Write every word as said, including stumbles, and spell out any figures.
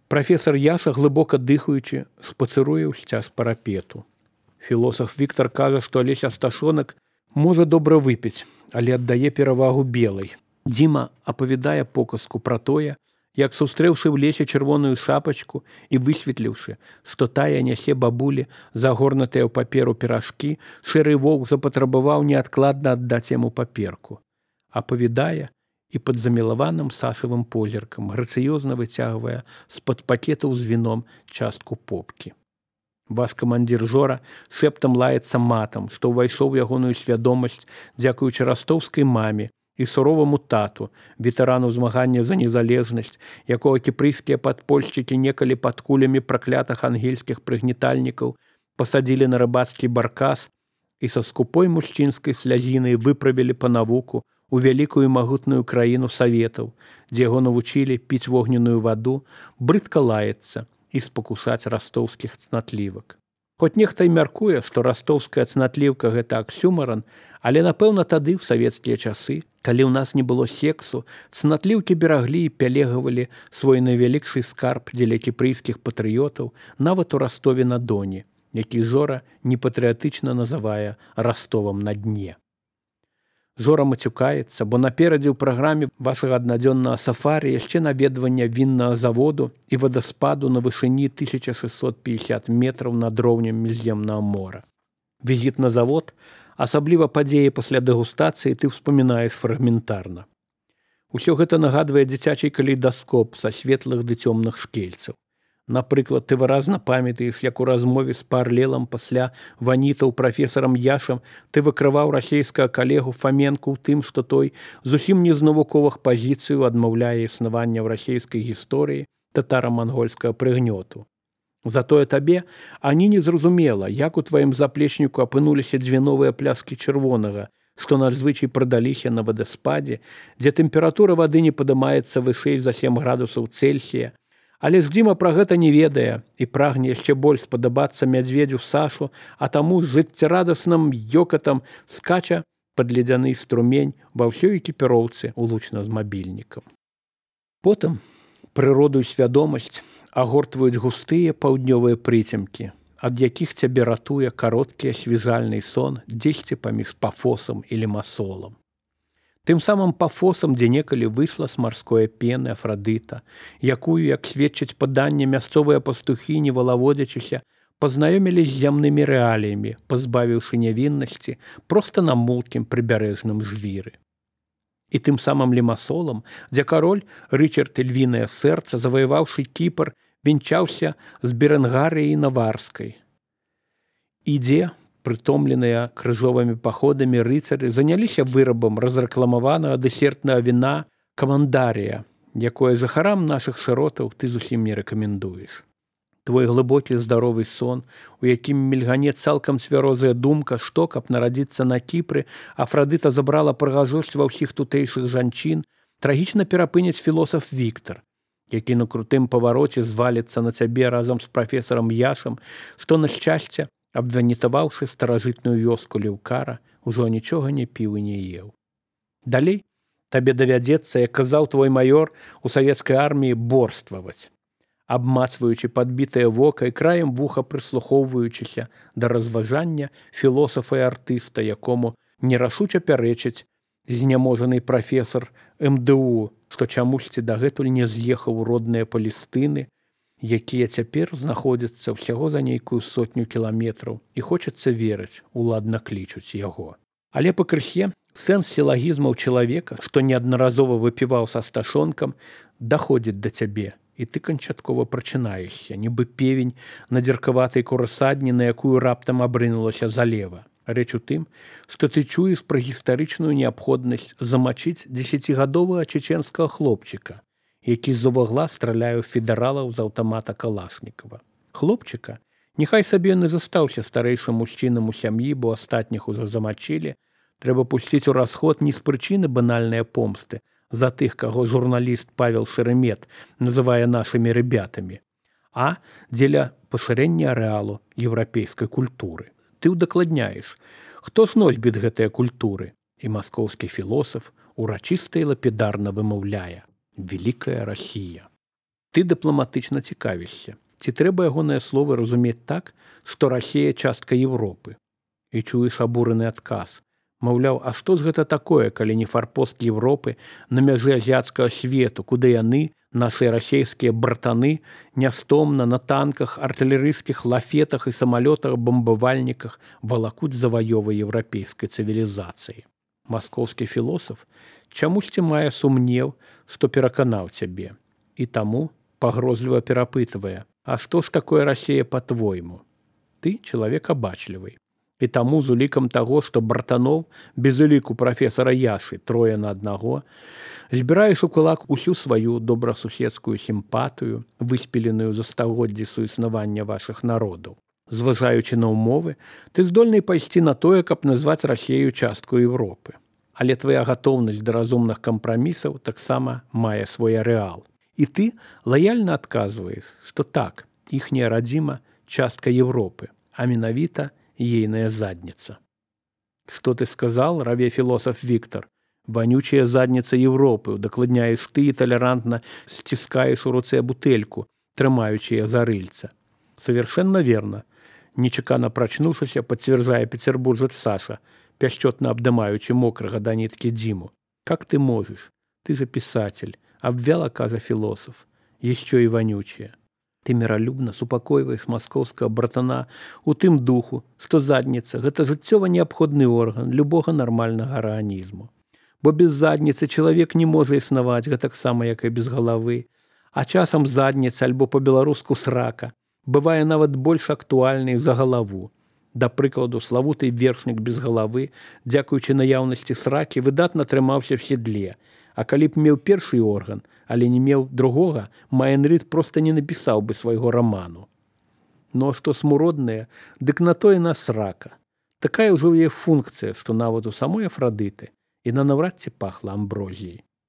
Прафесор Яша, глибоко дихаючи, спацыруе ў сцяг парапету. Філосаф Віктар кажа, што Алесь Асташонак можа добра выпіць, але аддае перавагу белай. Дзіма апавядае показку пра тое, як сустрэўшы ў лесе чырвоную шапачку і высветліўшы, што тая нясе бабулі загорнутыя ў паперу піражкі, шэры воўк запатрабаваў неадкладна аддаць яму паперку. Апавядае і пад замілаваным сашавым позіркам, грацыёзна выцягвае з-пад пакетаў з віном частку попкі. Ваш камандзір Жора шэптам лаецца матам, што ўвайшоў у ягоную свядомасць дзякуючы растоўскай маме і суроваму тату, ветэрану змагання за незалежнасць, якога кіпрыйскія падпольшчыкі некалі пад кулямі праклятых ангельскіх прыгнетальнікаў пасадзілі на рыбацкі баркас і са скупой мужчынскай слязінай выправілі па навуку у вялікую і магутную краіну саветаў, дзе яго навучылі піць вогненную ваду, брыдка лаецца і спакушаць растоўскіх цнатлівак. Хоць нехта і мяркуе, што растоўская цнатліўка – гэта аксюмаран, але, напэўна, тады, ў савецкія часы, калі ў нас не было сексу, цнатліўкі бераглі і пялегавалі свой найвялікшы скарб дзеля кіпрыйскіх патрыётаў нават у Растове-на-Доне, які Жора непатрыятычна называе Растовам на дне. Жора мацюкаецца, бо наперадзе ў праграме вашага аднадзённага сафарі яшчэ наведвання віннага заводу і вадаспаду на вышыні тысяча шэсцьсот пятьдесят метраў над роўнем міжземнага мора. Візіт на завод, асабліва падзеі пасля дэгустацыі, ты ўспамінаеш фрагментарна. Усё гэта нагадвае дзіцячы калейдаскоп са светлых ды цёмных шкельцаў. Напрыклад, ты выразна памятаеш, як у размове з Парлелам пасля ванітаў прафесарам Яшам ты выкрываў расейскага калегу Фаменку ў тым, што той зусім не з навуковых пазіцыяў адмаўляе існавання ў расейскай гісторыі татара-мангольскага прыгнёту. Затое табе ані не зразумела, як у тваім заплечніку апынуліся дзве новыя пляшкі чырвонага, што надзвычай прадаліся на вадаспадзе, дзе тэмпература вады не падымаецца вышэй за сем градусаў Цельсія, але ж Дзіма пра гэта не ведае і прагне яшчэ больш спадабацца мядзведзю Сашу, а таму з жыццярадасным ёкатам скача пад ледзяны струмень ва ўсёй экіпіроўцы улучна з мабільнікам. Потым прыроду і свядомасць агортваюць густыя паўднёвыя прыцемкі, ад якіх цябе ратуе кароткі асвежальны сон дзесьці паміж Пафосам і Лімасолам. Тым самым Пафосам, дзе некалі выйшла з марской пены Афрадыта, якую, як сведчыць паданне, мясцовыя пастухі, не валаводзячыся, пазнаёмілі з зямнымі рэаліямі, пазбавіўшы нявіннасці проста на мулкім прыбярэжным звіры. І тым самым Лімасолам, дзе кароль Рычард Львінае сэрца, заваяваўшы Кіпр, венчаўся з Берэнгарыяй Наварскай. І дзе прытомленыя крыжовымі паходамі рыцары заняліся вырабам разрэкламаванага дэсертнага віна камандарія, якое жыхарам нашых шыротаў ты зусім не рэкамендуеш. Твой глыбокі здаровы сон, у якім мільгане цалкам цвярозая думка, што, каб нарадзіцца на Кіпры, Афрадыта забрала прыгажосць ва ўсіх тутэйшых жанчын, трагічна перапыніць філосаф Віктар, які на крутым павароце зваліцца на цябе разам з прафесарам Яшам, што, на шчасце, абванітаваўшы старажытную вёску Леўкара, ужо нічога не піў і не еў. Далей табе давядзецца, як казаў твой маёр, у савецкай арміі борстваваць, абмацваючы падбітае вока і краем вуха прыслухоўваючыся да разважання філосафа і артыста, якому нерашуча пярэчыць зняможаны прафесар эм дэ у, што чамусьці дагэтуль не з'ехаў у родныя Палестыны, якія цяпер знаходзяцца ўсяго за нейкую сотню кіламетраў, і хочацца верыць, уладна клічуць яго. Але пакрысе сэнс сілагізмаў чалавека, што неаднаразова выпіваў са Асташонкам, даходзіць да цябе, і ты канчаткова прачынаешся, нібы певень на дзіркаватай курасадні, на якую раптам абрынулася залева. Рэч у тым, што ты чуеш пра гістарычную неабходнасць замачыць дзесяцігадовага чеченскага хлопчыка, які з-за вугла страляе ў федэралаў з аўтамата Калашнікава. Хлопчыка, няхай сабе ён і застаўся старэйшым мужчынам у сям'і, бо астатніх ужо замачылі, трэба пусціць у расход не з прычыны банальнай помсты за тых, каго журналіст Павел Шеремет называе нашымі рыбятамі, а дзеля пашырэння арэалу еўрапейскай культуры. Ты ўдакладняеш, хто ж носьбіт гэтыя культуры, і маскоўскі філосаф урачыста і лапідарна вымаўляе: «Великая Россия». Ты дыпламатычна цікавішся, ці трэба ягоныя словы разумець так, што Расія частка Европы. І чуеш абураны адказ. Маўляў, а што ж гэта такое, калі не фарпост Европы на мяжы азіяцкага свету, куды яны, нашыя расейскія братаны, нястомна на танках, артылерыйскіх лафетах і самалётах-бамбавальніках валакуць заваёвы еўрапейскай цывілізацыі. Маскоўскі філосаф чамусьці мае сумнеў, што пераканаў цябе. І таму пагрозліва перапытвае: а што ж такое Расія па-твойму? Ты чалавек абачлівы. І таму з улікам таго, што братаноў без уліку прафесара Яшы трое на аднаго, збіраеш у кулак усю сваю добрасуседскую сімпатыю, выспеленую за стагоддзі суіснавання вашых народаў. Зважаючы на ўмовы, ты здольны пайсці на тое, каб назваць Расею частку Европы. Але твая гатоўнасць да разумных кампрамісаў таксама мае свой арэал. І ты лаяльна адказваеш, што так, іхняя радзіма частка Европы, а менавіта ейная задница. Что ты сказал, раве философ Виктор? Вонючая задница Европы, удакладняешь ты и толерантно стискаешь у руце бутельку, трымаючи за рыльца. Совершенно верно. Нечакано прочнувшись, подтверждая петербуржец Саша, пящетно обдымаючи мокрого до нитки Диму. Как ты можешь? Ты же писатель, обвял оказа философ, еще и вонючая. Ты міралюбна супакойваеш маскоўскага братана у тым духу, што задніца – гэта жыццёва неабходны орган любога нармальнага арганізму. Бо без задніцы чалавек не можа існаваць гэтаксама, як і без галавы, а часам задніца альбо па-беларуску срака бывае нават больш актуальнай за галаву. Да прыкладу, славуты вершнік без галавы, дзякуючы наяўнасці сракі, выдатна трымаўся в седле, а калі б меў першы орган, але не меў другога, Майн Рид проста не напісаў бы свайго раману. Ну а што смуроднае, дык на тое на срака. Такая ўжо яе функцыя, што нават у самой Афрадыты і на наўрад ці пахла амброзіяй.